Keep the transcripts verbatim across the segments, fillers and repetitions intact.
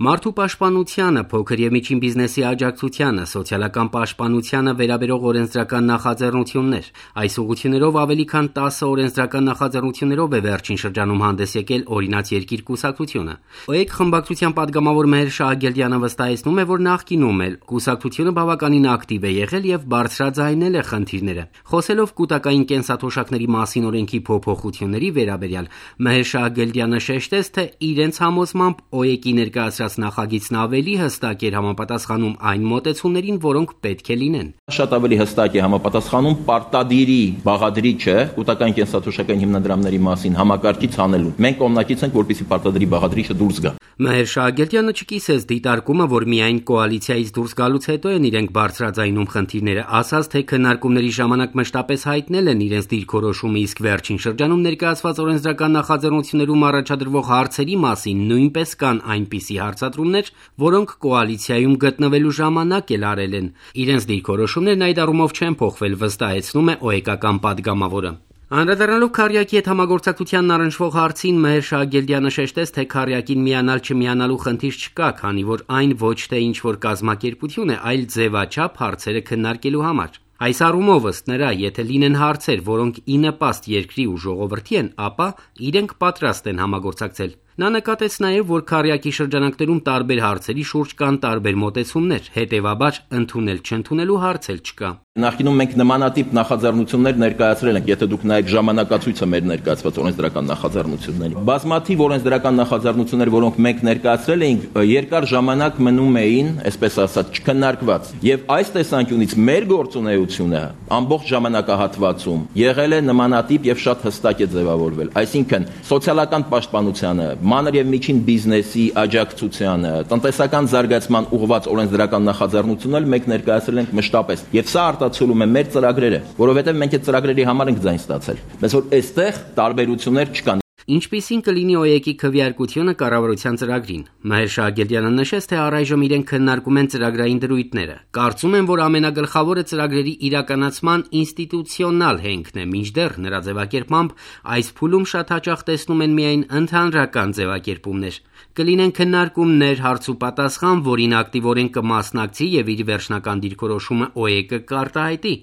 Մարդու պաշտպանությանը, փոքր և միջին բիզնեսի աջակցությանը, սոցիալական պաշտպանությանը վերաբերող օրենսդրական նախաձեռնություններ։ Այս ուղղություններով ավելի քան տասը օրենսդրական նախաձեռնություններով է վերջին շրջանում հանդես եկել «Օրինաց երկիր» կուսակցությունը։ ՕԵԿ խմբակցության падգամավոր Մեհեր Շահագերդյանը վստահեցնում է, որ նախկինում էլ կուսակցությունը բավականին ակտիվ է եղել և բարձրաձայնել է խնդիրները։ Խոսելով կուտակային կենսաթոշակների մասին օրենքի փոփոխությունների վերաբերյալ, Մեհեր Շահագերդյանը շեշտեց, թե իրենց համոզմամբ ՕԵԿ-ի ներկայացրած նախագիծն ավելի հստակ էր համապատասխանում այն մոտեցումներին, որոնք պետք է լինեն։ Շատ ավելի հստակ է համապատասխանում պարտադիրի բաղադրիչը կուտակային կենսաթոշակային հիմնադրամների մասին համակարգից հանելուն։ Մենք կողմնակից ենք, որպեսզի պարտադիրի բաղադրիչը դուրս գա։ Մեհեր Շահագերդյանը չկիսեց դիտարկումը, որ միայն կոալիցիայից դուրս գալուց հետո են իրենք բարձրաձայնում խնդիրները, ասաց, թե քննարկումների ժամանակ մշտապես հայտնել են իրենց դիրքորոշումը, իսկ վերջին շրջանում ներկայացված օրենսդրական նախաձեռնություններում առաջադրվող հարցերի մասին նույնպես կան այնպիսի հարցադրումներ, որոնք կոալիցիայում գտնվելու ժամանակ էլ արել են։ Իրենց դիրքորոշումներն այդ առումով չեն փոխվել, վստահեցնում է ՕԵԿ-ական падգամավորը։ Անդրադառնալով Քարյակի հետ համագործակցությանն առնչվող հարցին, Մեհեր Շահագերդյանը շեշտեց, թե Քարյակին միանալ-չմիանալու խնդիր չկա, քանի որ այն ոչ թե ինչ-որ կազմակերպություն է, այլ ձևաչափ հարցերը քննարկելու համար։ Այս առումով, ըստ նրա, եթե լինեն հարցեր, որոնք ի նպաստ երկրի ու ժողովրդի են, ապա իրենք պատրաստ են համագործակցել։ Նա նկատեց նաև, որ Քարյակի շրջանակներում տարբեր հարցերի շուրջ կան տարբեր մոտեցումներ, հետևաբար ընդունել-չընդունելու հարց էլ չկա։ Նախկինում մենք նմանատիպ նախաձեռնություններ ներկայացրել ենք, եթե դուք նայեք ժամանակացույցը մեր ներկայացված օրենսդրական նախաձեռնությունների։ Բազմաթիվ օրենսդրական նախաձեռնություններ, որոնք մենք ներկայացրել էինք, երկար ժամանակ մնում էին, այսպես ասած, չքննարկված։ Եվ այս տեսանկյունից մեր գործունեությունը ամբողջ ժամանակահատվածում եղել է նմանատիպ եւ շատ հստակ է ձևավորվել։ Այսինքն սոցիալական պաշտպանությանը, մանր եւ միջին բիզնեսի աջակցությանը, տնտեսական զարգացման ուղղված օրենսդրական նախաձեռնություններ մենք ներկայացրել ենք մշտապես։ Եվ սա արտացոլում է մեր ծրագրերը, որովհետեւ մենք այդ ծրագրերի համար ենք ձայն ստացել։ Բայց որ այստեղ տարբերություններ չկան։ Ինչպիսին կլինի ՕԵԿ-ի քվեարկությունը կառավարության ծրագրին։ Մեհեր Շահագերդյանը նշեց, թե առայժմ իրենք քննարկում են ծրագրային դրույթները։ Կարծում եմ, որ ամենագլխավորը ծրագրերի իրականացման ինստիտուցիոնալ հենքն է, մինչդեռ նրա ձևակերպմամբ այս փուլում շատ հաճախ տեսնում են միայն ընդհանրական ձևակերպումներ։ Կլինեն քննարկումներ, հարցուպատասխան, որին ակտիվորեն կմասնակցի եւ իր վերջնական դիրքորոշումը ՕԵԿ-ը կարտահայտի։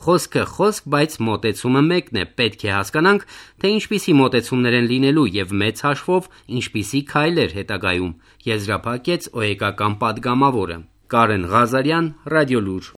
Խոսքը խոսք, բայց մոտեցումը մեկն է։ Պետք է հասկանանք, թե ինչպիսի մոտեցումներ են լինելու եւ մեծ հաշվով ինչպիսի քայլեր հետագայում, եզրափակեց ՕԵԿ-ական падգամավորը։ Կարեն Ղազարյան, Ռադիոլուր։